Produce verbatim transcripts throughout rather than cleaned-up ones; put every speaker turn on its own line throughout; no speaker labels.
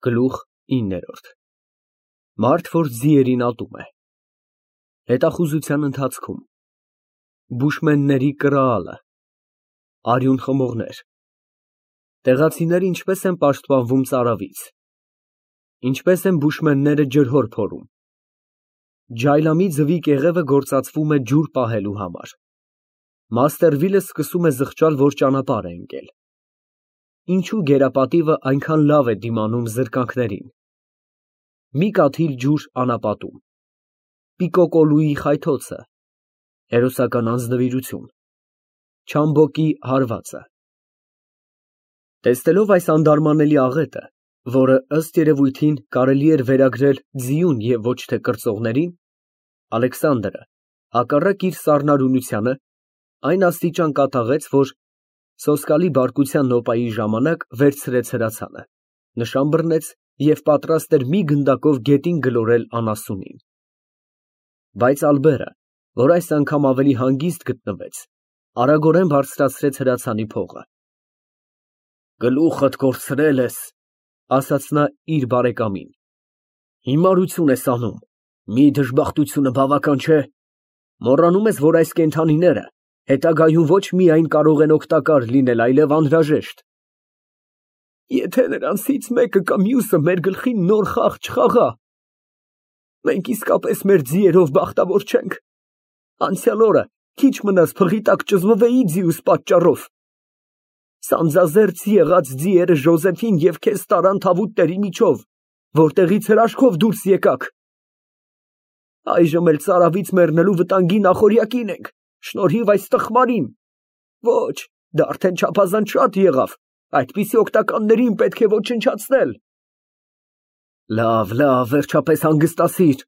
Գլուխ ինը Մարդ, որ ձիերին ատում է։ Հետախուզության ընթացքում բուշմենների կրալը, արյուն խմողներ, տեղացիները ինչպես են պաշտպանվում ծարավից, ինչպես են բուշմենները ջրհոր փորում, ջայլամի ձվի կեղևը գործածվում է ջուր պահելու համար, Մաստերվիլը սկսում է զղջալ, որ ճանապարհ է ընկել, ինչու գերապատիվը այնքան լավ է դիմանում զրկանքներին, մի կաթիլ ջուր անապատում, Պիկոկոլուի խայթոցը, հերոսական անձնվիրություն, Չամբոկի հարվածը։ Տեսնելով այս անդարմանելի աղետը, որը ըստ երևույթին կարելի էր վերագրել ձիուն և ոչ թե կրծողներին, Ալեքսանդրը, հակառակ իր սառնարյունությանը, այն աստիճան կատաղեց, որ սոսկալի բարկության նոպայի ժամանակ վերցրեց հրացանը, նշան բռնեց և պատրաստ էր մի գնդակով գետին գլորել անասունին։ Բայց Ալբերը, որ այս անգամ ավելի հանգիստ գտնվեց, արագորեն բարձրացրեց հրացանի փողը։ Գլուխդ կորցրել ես, ասաց նա իր բարեկամին, հիմարություն ես անում, մի դժբախտությունը բավական չէ, մոռանում ես, որ այս կենդանիները հետագայում ոչ միայն կարող են օգտակար լինել, այլև անհրաժեշտ։ Եթե նրանցից մեկը կամ մյուսը մեր գլխին նոր խաղ չխաղա, մենք իսկապես մեր ձիերով բախտավոր չենք։ Անցյալ օրը քիչ մնաց փղի տակ ճզմվեի ձիուս պատճառով։ Սանձազերծ եղած ձիերը Ժոզեֆին և քեզ տարան թավուտների միջով, որտեղից հրաշքով դուրս եկաք։ Այժմ էլ ծարավից մեռնելու վտանգի նախօրյակին ենք, շնորհիվ այս տխմարին։ Ոչ, դա արդեն չափազանց շատ եղավ, այդպիսի օգտականներին պետք է ոչնչացնել։ Լավ, լավ, վերջապես հանգստացիր,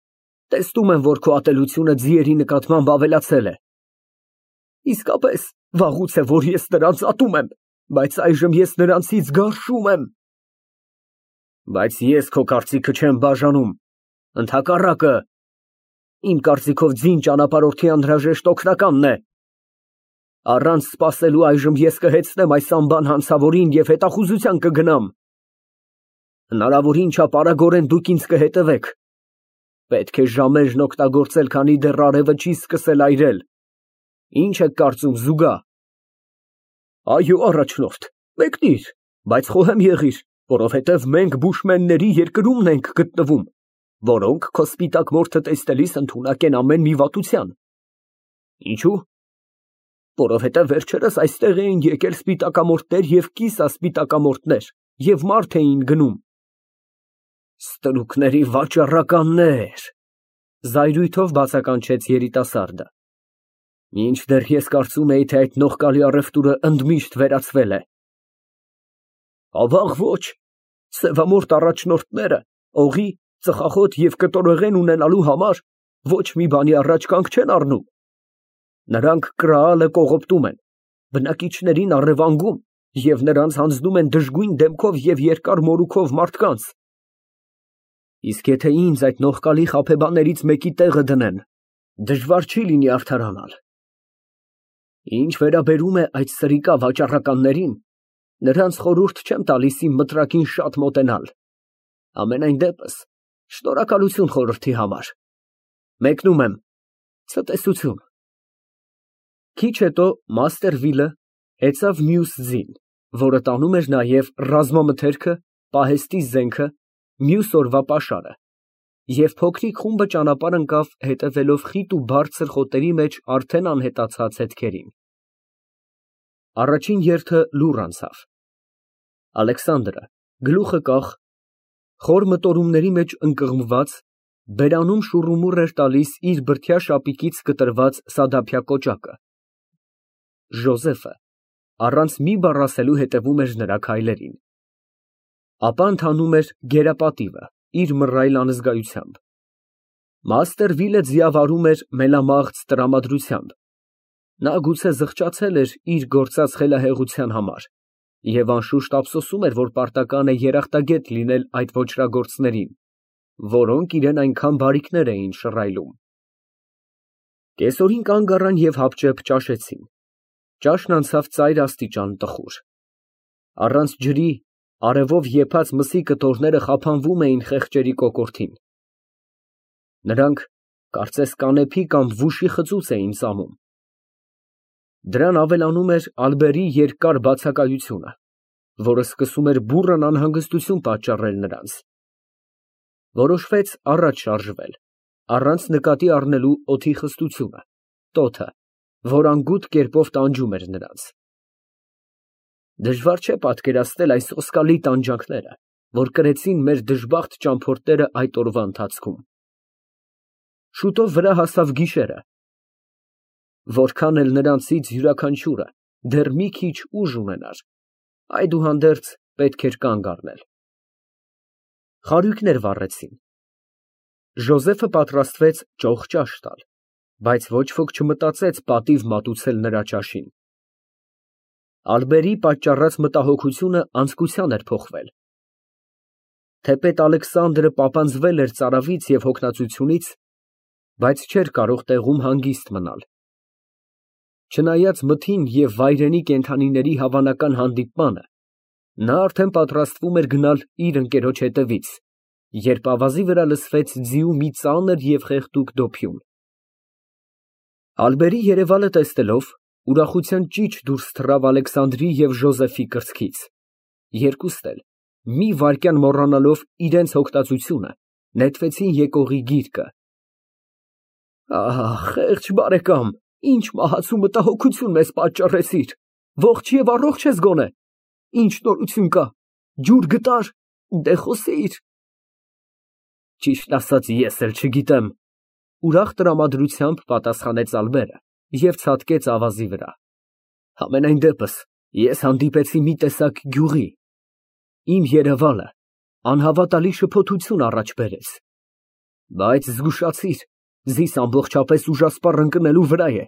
տեսնում եմ, որ քո ատելությունը ձիերի նկատմամբ ավելացել է։ Իսկապես, վաղուց է, որ ես նրանց ատում եմ, բայց այժմ ես նրանցից գարշում եմ։ Բայց ես քո կարծիքը չեմ բաժանում, ընդհակառակը, իմ կարծիքով ձին ճանապարհորդի անհրաժեշտ օգնականն է։ Առանց սպասելու այժմ ես կհեծնեմ այս անբան հանցավորին և հետախուզության կգնամ։ Հնարավորին չափ արագորեն դուք ինձ կհետևեք։ Պետք է ժամերն օգտագործել, քանի դեռ արևը չի սկսել այրել։ Ինչ եք կարծում, զուգա։ Այո, առաջնորդ, մեկնիր, բայց խոհեմ եղիր, որովհետև մենք բուշմենների երկրումն ենք գտնվում, որոնք քո սպիտակ մորթը տեսնելիս ընդունակ են ամեն մի վատության։ Ինչու՞։ Որովհետև վերջերս այստեղ էին եկել սպիտակամորթներ և կիսասպիտակամորթներ և մարդ էին գնում։ Ստրուկների վաճառականներ, զայրույթով բացականչեց երիտասարդը։ Մինչդեռ ես կարծում էի, թե այդ նողկալի առևտուրը ընդմիշտ վերացվել է։ Ավաղ ոչ, սևամորթ առաջնորդները օղի, ծխախոտ և կտորեղեն ունենալու համար ոչ մի բանի առաջ կանգ չեն առնում։ Նրանք կրալը կողոպտում են, բնակիչներին առևանգում և նրանց հանձնում են դժգույն դեմքով և երկար մորուքով մարդկանց։ Իսկ եթե ինձ այդ նողկալի խաբեբաներից մեկի տեղը դնեն, դժվար չի լինի արդարանալ։ Ինչ վերաբերում է այդ սրիկա վաճառականներին, նրանց խորհուրդ չեմ տալիս իմ մտրակին շատ մոտենալ։ Համենայն դեպս, շնորհակալություն խորհրդի համար։ Մեկնում եմ, ցտեսություն։ Քիչ հետո Մաստերվիլը հեծավ մյուս ձին, որը տանում էր նաև ռազմամթերքը, պահեստի զենքը, մյուս օրվա պաշարը, և փոքրիկ խումբը ճանապարհ ընկավ հետևելով խիտ ու բարձր խոտերի մեջ արդեն անհետացած հետքերին։ Առաջին երթը լուռ անցավ։ Ալեքսանդրը, գլուխը կախ, խոր մտորումների մեջ ընկղմված, բերանում շուռումուռ էր տալիս իր բրդյա շապիկից կտրված սադափյա կոճակը։ Ժոզեֆը առանց մի բառ ասելու հետևում էր նրա քայլերին։ Ապա ընթանում էր գերապատիվը իր մռայլ անզգայությամբ։ Մաստերվիլը ձիավարում էր մելամաղձ տրամադրությամբ։ Նա գուցե զղջացել էր իր գործած խելահեղության համար և անշուշտ ափսոսում էր, որ պարտական է երախտագետ լինել այդ ոճրագործներին, որոնք իրան այնքան բարիքներ էին շռայլում։ Կեսօրին կանգ առան և հապճեպ ճաշեցին։ Ճաշն անցավ ծայր աստիճան տխուր։ Առանց ջրի Արևով եփած մսի կտորները խափանվում էին խեղճերի կոկորդին։ Նրանք կարծես կանեփի կամ վուշի խծուց էին ծամում։ Դրան ավելանում էր ալբերի երկար բացակայությունը, որը սկսում էր բուռն անհանգստություն պատճառել նրանց։ Որոշվեց առաջ շարժվել, առանց նկատի առնելու օդի խստությունը, տոթը, որ անգութ կերպով տանջում էր նրանց։ Դժվար չէ պատկերացնել այս սոսկալի տանջանքները, որ կրեցին մեր դժբախտ ճամփորդները այդ օրվա ընթացքում։ Շուտով վրա հասավ գիշերը։ Որքան էլ նրանցից յուրաքանչյուրը դեռ մի քիչ ուժ ունենար, այդուհանդերձ պետք էր կանգ առնել։ Խարույկներ վառեցին։ Ժոզեֆը պատրաստվեց ճոխ ճաշ տալ, բայց ոչ ոք չմտածեց պատիվ մատուցել նրա ճաշին։ Ալբերի պատճառած մտահոգությունը անձկության էր փոխվել։ Թեպետ Ալեքսանդրը պապանձվել էր ծարավից և հոգնածությունից, բայց չէր կարող տեղում հանգիստ մնալ։ Չնայած մթին և վայրենի կենդանիների հավանական հանդիպմանը, նա արդեն պատրաստվում էր գնալ իր ընկերոջ հետևից, երբ ավազի վրա լսվեց ձիու մի ծանր և խեղդուկ դոփյուն։ Ալբերի երևալը տեսնելով, ուրախության ճիչ դուրս թռավ Ալեքսանդրի և Ժոզեֆի կրծքից, երկուստ էլ, մի վայրկյան մոռանալով իրենց հոգնածությունը, նետվեցին եկողի գիրկը։ Ահ, խեղճ բարեկամ, ինչ մահացու մտահոգություն մեզ պատճառեցիր, ողջ և առողջ ես գոնե, ինչ նորություն կա, ջուր գտա՞ր, դե խոսեիր։ Ճիշտն ասած, ես էլ չգիտեմ, ուրախ տրամադրությամբ պատասխանեց Ալբերը և ցատկեց ավազի վրա։ Համենայն դեպս, ես հանդիպեցի մի տեսակ գյուղի, իմ երևալը անհավատալի շփոթություն առաջ բերեց, բայց զգուշացիր, զիս ամբողջապես ուժասպառ ընկնելու վրա է,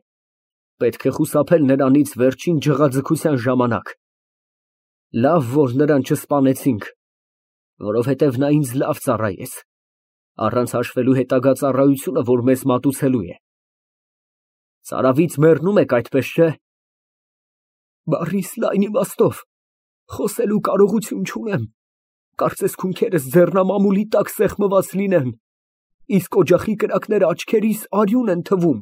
պետք է խուսափել նրանից վերջին ջղաձգության ժամանակ։ Լավ, որ նրան չսպանեցինք, որովհետև նա ինձ լավ ծառայեց, առանց հաշվելու հետագա ծառայությունը, որ մեզ մատուցելու է։ Ծարավից մեռնում եք, այդպես չէ։ Բառիս լայն իմաստով, խոսելու կարողություն չունեմ, կարծես քունքերս ձեռնամամուլի տակ սեղմված լինեն, իսկ օջախի կրակները աչքերիս արյուն են թվում։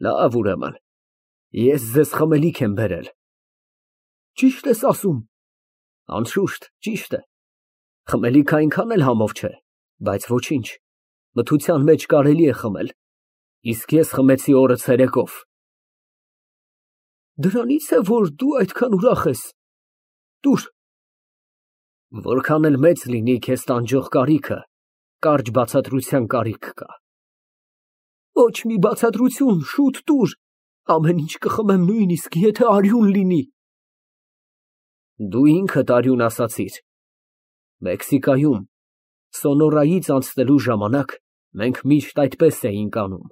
Լավ, ուրեմն, ես ձեզ խմելիք եմ բերել։ Ճիշտ ես ասում։ Անշուշտ, ճիշտ է։ Խմելիքը այնքան էլ համով չէ, բայց ոչինչ, մթության մեջ կարելի է խմել, իսկ ես խմեցի օրը ցերեկով։ Դրանից է, որ դու այդքան ուրախ ես։ Տուր։ Որքան էլ մեծ լինի քեզ տանջող կարիքը, կարճ բացատրության կարիք կա։ Ոչ մի բացատրություն, շուտ տուր, ամեն ինչ կխմեմ, նույնիսկ եթե արյուն լինի։ Դու ինքդ արյուն ասացիր։ Մեքսիկայում Սոնորայից անցնելու ժամանակ մենք միշտ այդպես էինք անում։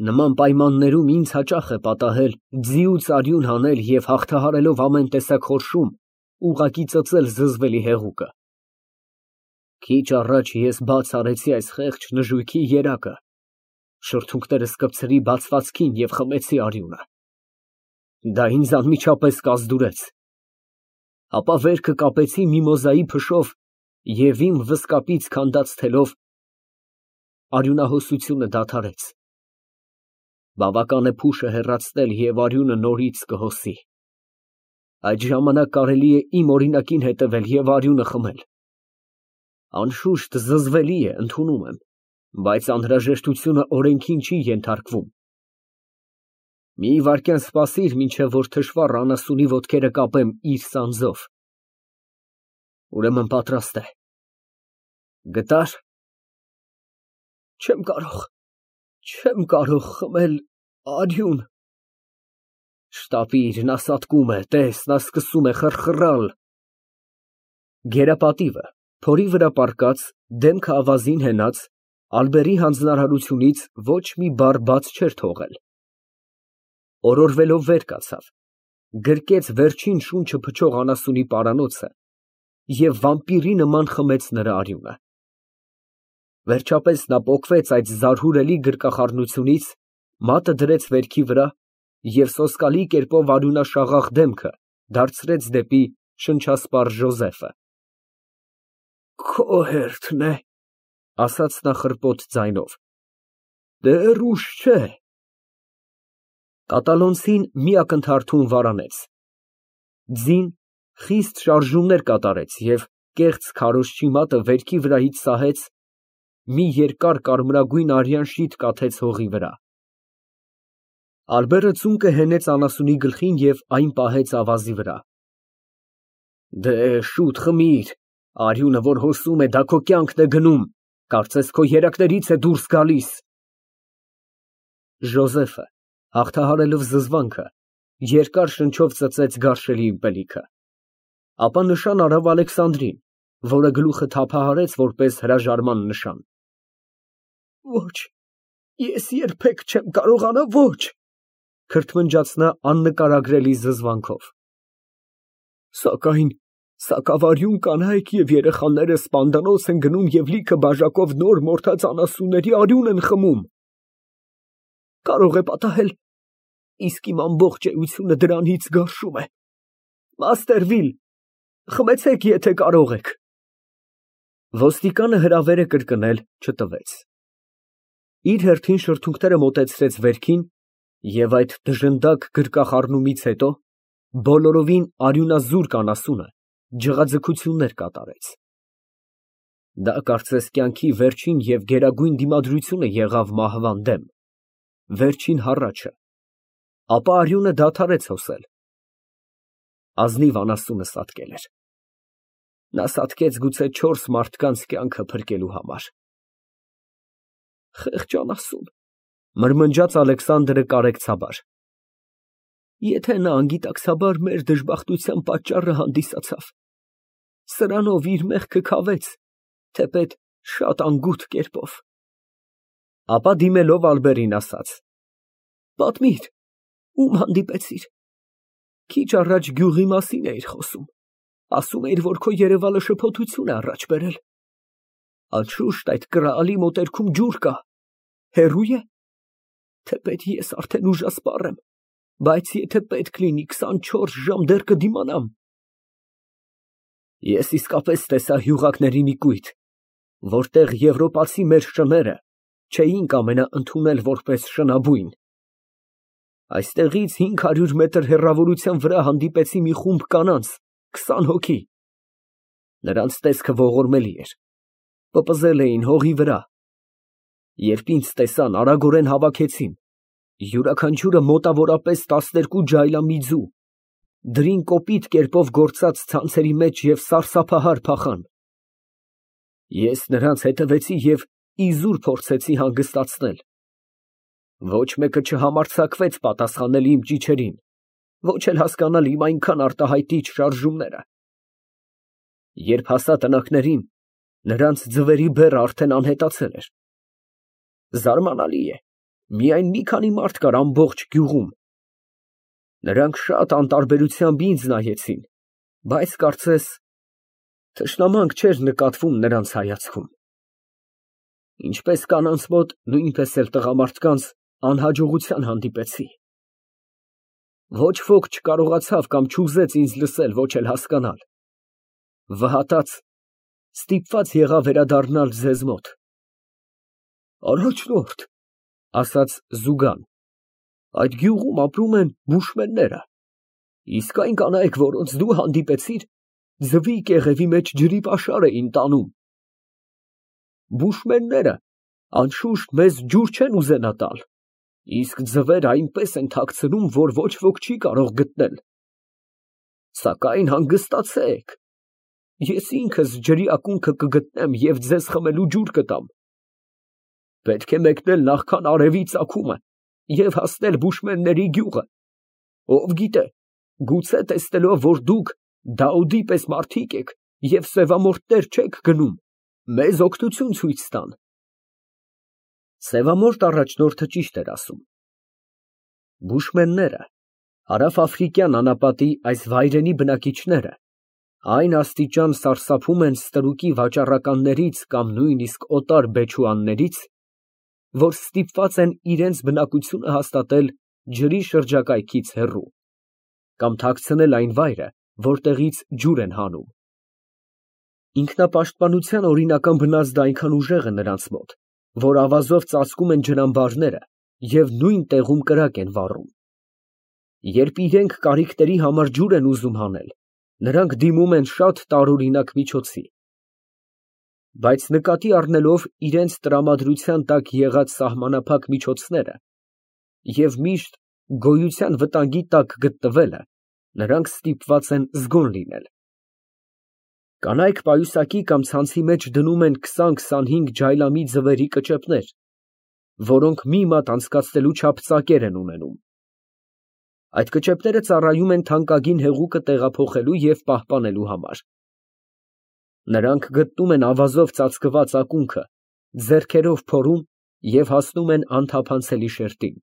Նման պայմաններում ինձ հաճախ է պատահել ձիուց արյուն հանել և հաղթահարելով ամեն տեսակ խորշում, ուղղակի ծծել զզվելի հեղուկը։ Քիչ առաջ ես բաց արեցի այս խեղճ նժույգի երակը, շրթունքներս կպցրի բացվածքին և խմեցի արյունը։ Դա ինձ անմիջապես կազդուրեց։ Ապա վերքը կապեցի միմոզայի փշով և իմ վզկապից քանդած թելով արյունահոսությունը դադարեց։ Բավական է փուշը հեռացնել և արյունը նորից կհոսի։ Այդ ժամանակ կարելի է իմ օրինակին հետևել և արյունը խմել։ Անշուշտ զզվելի է, ընդունում եմ, բայց անհրաժեշտությունը օրենքին չի ենթարկվում։ Մի վայրկյան սպասիր, մինչև որ թշվառ անասունի ոտքերը կապեմ իր սանձով։ Ուրեմն պատրաստ է։ Գտա՞ր։ Չեմ կարող, չեմ կարող խմել արյուն։ Շտապիր, նա սատկում է, տես, նա սկսում է խռխռալ։ Գերապատիվը, փորի վրա պառկած, դեմքը ավազին հենած, Ալբերի հանձնարարությունից ոչ մի բառ բաց չէր թողել։ Օրորվելով վեր կացավ, գրկեց վերջին շունչը փչող անասունի պարանոցը և վամպիրի նման խմեց նրա արյունը։ Վերջապես նա պոկվեց այդ զարհուրելի գրկախառնությունից, մատը դրեց վերքի վրա և սոսկալի կերպով արյունաշաղախ դեմքը դարձրեց դեպի շնչասպառ Ժոզեֆը։ Քո հերթն է, ասաց նա խռպոտ ձայնով, դեռ ուշ չէ։ Կատալոնցին մի ակնթարթում վարանեց։ Ձին խիստ շարժումներ կատարեց և կեղծ քարոզչի մատը վերքի վրայից սահեց, մի երկար կարմրագույն արյան շիթ կաթեց հողի վրա։ Ալբերը ծունկը հենեց անասունի գլխին և այն պահեց ավազի վրա։ Դեհ, շուտ խմիր, արյունը, որ հոսում է, դա քո կյանքն է գնում, կարծես քո երակներից է դուրս գալիս։ Ժոզեֆը, հաղթահարելով զզվանքը, երկար շնչով ծծեց գարշելի ըմպելիքը, ապա նշան արավ Ալեքսանդրին, որը գլուխը թափահարեց որպես հրաժարման նշան։ Ոչ, ես երբեք չեմ կարողանա, ոչ, քրթմնջաց նա աննկարագրելի զզվանքով։ Սակայն սակավարյուն կանայք և երեխաները սպանդանոց են գնում և լիքը բաժակով նոր մորթած անասունների արյուն են խմում։ Կարող է պատահել, իսկ իմ ամբողջ էությունը դրանից գարշում է։ Մաստերվիլ, խմեցեք, եթե կարող եք։ Ոստիկանը հրավերը կրկնել չտվեց։ Իր հերթին շրթունքները մոտեցրեց վերքին և այդ դժնդակ գրկախառնումից հետո բոլորովին արյունազուրկ անասունը ջղաձգություններ կատարեց։ Դա կարծես կյանքի վերջին և գերագույն դիմադրությունը եղավ մահվան դեմ, վերջին հառաչը, ապա արյունը դադարեց հոսել։ Ազնիվ անասունը սատկել էր։ Նա սատկեց գուցե չորս մարդկանց կյանքը փրկելու համար։ Խեղճ անասուն, մրմնջաց Ալեքսանդրը կարեկցաբար։ Եթե նա անգիտակցաբար մեր դժբախտության պատճառը հանդիսացավ, սրանով իր մեղքը քավեց, թեպետ շատ անգութ կերպով։ Ապա դիմելով Ալբերին ասաց. Պատմիր, ում հանդիպեցիր։ Քիչ առաջ գյուղի մասին էիր խոսում, ասում էիր, որ քո երևալը շփոթություն է առաջ բերել։ Անշուշտ այդ կռալի մոտերքում ջուր կա, հեռո՞ւ է։ Թեպետ ես արդեն ուժասպառ եմ, բայց եթե պետք լինի քսանչորս ժամ դեռ կդիմանամ։ Ես իսկապես տեսա հյուղակների մի կույտ, որտեղ եվրոպացի մեր շները չէին կամենա ընդունել որպես շնաբույն։ Այստեղից հինգ հարյուր մետր հեռավորության վրա հանդիպեցի մի խումբ կանանց, քսան հոգի։ Նրանց տեսքը ողորմելի էր, պպզել էին հողի վրա։ Երբ ինձ տեսան, արագորեն հավաքեցին, յուրաքանչյուրը մոտավորապես տասներկու ջայլամիձու, դրին կոպիտ կերպով գործած ցանցերի մեջ և սարսափահար փախան։ Ես նրանց հետևեցի և իզուր փորձեցի հանգստացնել։ Ոչ մեկը չհամարձակվեց պատասխանել իմ ճիչերին, ոչ էլ հասկանալ իմ այնքան արտահայտիչ շարժումները։ Երբ հասա տնակներին, նրանց ձվերի բեռը արդեն անհետացել էր։ Զարմանալի է, միայն մի քանի մարդ կար ամբողջ գյուղում։ Նրանք շատ անտարբերությամբ ինձ նայեցին, բայց կարծես թշնամանք չէր նկատվում նրանց հայացքում։ Ինչպես կանանց մոտ, նույնպես էլ տղամարդկանց անհաջողության հանդիպեցի։ Ոչ ոք չկարողացավ կամ չուզեց ինձ լսել, ոչ էլ հասկանալ։ Վհատած, ստիպված եղա վերադառնալ ձեզ մոտ։ Առաջնորդ, ասաց Զուգան, այդ գյուղում ապրում են բուշմենները, իսկ այն կանայք, որոնց դու հանդիպեցիր, ձվի կեղևի մեջ ջրի պաշար էին տանում։ Բուշմենները անշուշտ մեզ ջուր չեն ուզենա տալ, իսկ ձվերը այնպես են թաքցնում, որ ոչ ոք չի կարող գտնել։ Սակայն հանգստացեք, ես ինքս ջրի ակունքը կգտնեմ և ձեզ խմելու ջուր կտամ։ Պետք է մեկնել նախքան արևի ծագումը և հասնել բուշմենների գյուղը։ Ով գիտե, գուցե տեսնելով, որ դուք Դաուդի պես մարդիկ եք և սևամորթներ չեք գնում, մեզ օգնություն ցույց տան։ Սևամորթ առաջնորդը ճիշտ էր ասում։ Բուշմենները, հարավաֆրիկյան անապատի այս վայրենի բնակիչները, այն աստիճան սարսափում են ստրուկի վաճառականներից կամ նույնիսկ օտար բեչուաններից, որ ստիպված են իրենց բնակությունը հաստատել ջրի շրջակայքից հեռու, կամ թաքցնել այն վայրը, որտեղից ջուր են հանում։ Ինքնապաշտպանության օրինական բնազդը այնքան ուժեղ է նրանց մոտ, որ ավազով ծածկում են ջրամբարները և նույն տեղում կրակ են վառում։ Երբ իրենք կարիքների համար ջուր են ուզում հանել, նրանք դիմում են շատ տարօրինակ միջոցի։ Բայց նկատի առնելով իրենց տրամադրության տակ եղած սահմանափակ միջոցները և միշտ գոյության վտանգի տակ գտնվելը, նրանք ստիպված են զգոն լինել։ Կանայք պայուսակի կամ ցանցի մեջ դնում են քսան֊քսանհինգ ջայլամի ձվերի կճեպներ, որոնք մի մատ անցկացնելու չափ ծակեր են ունենում։ Այդ կճեպները ծառայում են թանկագին հեղուկը տեղափոխելու և պահպանելու համար։ Նրանք գտնում են ավազով ծածկված ակունքը, ձեռքերով փորում և հասնում են անթափանցելի շերտին։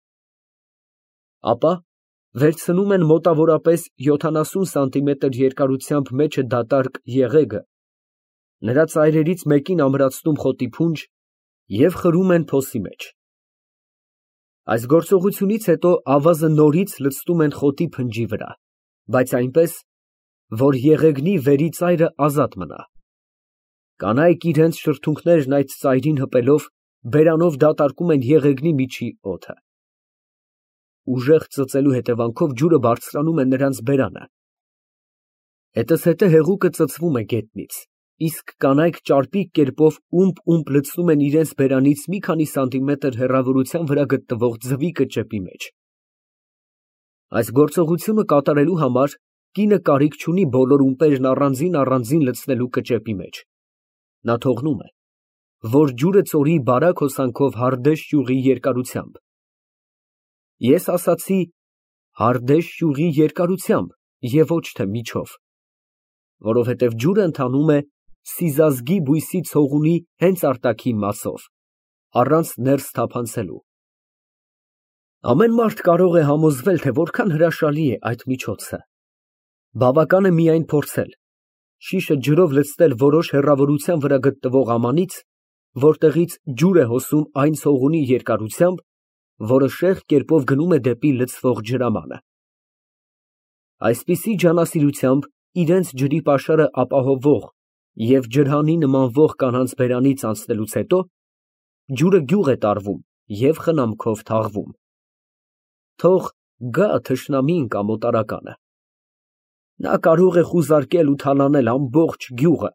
Ապա վերցնում են մոտավորապես յոթանասուն սանտիմետր երկարությամբ մեջը դատարկ եղեգը, նրա ծայրերից մեկին ամրացնում խոտի փունջ և խրում են փոսի մեջ։ Այս գործողությունից հետո ավազը նորից լցնում են խոտի փնջի վրա, բայց այնպես, որ եղեգնի վերի ծայրը ազատ մնա։ Կանայք իրենց շրթունքներն այդ ծայրին հպելով բերանով դատարկում են եղեգնի միջի օդը։ Ուժեղ ծծելու հետևանքով ջուրը բարձրանում է նրանց բերանը։ Հետզհետե հեղուկը ծծվում է գետնից, իսկ կանայք ճարպիկ կերպով ումպ֊ումպ լցնում են իրենց բերանից մի քանի սանտիմետր հեռավորության վրա գտնվող ձվի կճեպի մեջ։ Այս գործողությունը կատարելու համար կինը կարիք չունի բոլոր ումպերն առանձին֊առանձին լցնելու կճեպի մեջ։ Նա թողնում է, որ ջուրը ծորի բարակ հոսանքով հարդեշ ճյուղի երկարությամբ։ Ես ասացի հարդեշ ճյուղի երկարությամբ և ոչ թե միջով, որովհետև ջուրը ընթանում է սիզազգի բույսի ցողունի հենց արտաքին մասով, առանց ներս թափանցելու։ Ամեն մարդ կարող է համոզվել, թե որքան հրաշալի է այդ միջոցը։ Բավական է միայն փորձել, շիշը ջրով լցնել որոշ հեռավորության վրա գտնվող ամանից, որտեղից ջուր է հոսում այն ցողունի երկարությամբ, որը շեղ կերպով գնում է դեպի լցվող ջրամանը։ Այսպիսի ջանասիրությամբ իրենց ջրի պաշարը ապահովող և ջրհանի նմանվող կանանց բերանից անցնելուց հետո, ջուրը գյուղ է տարվում և խնամքով թաղվում։ Թող գա թշնամին կամ օտարականը։ Նա կարող է խուզարկել ու թալանել ամբողջ գյուղը,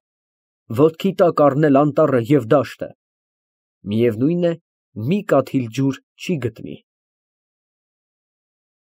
ոտքի տակ առնել անտառը և դաշտը, միևնույն է, մի կաթիլ ջուր չի գտնի։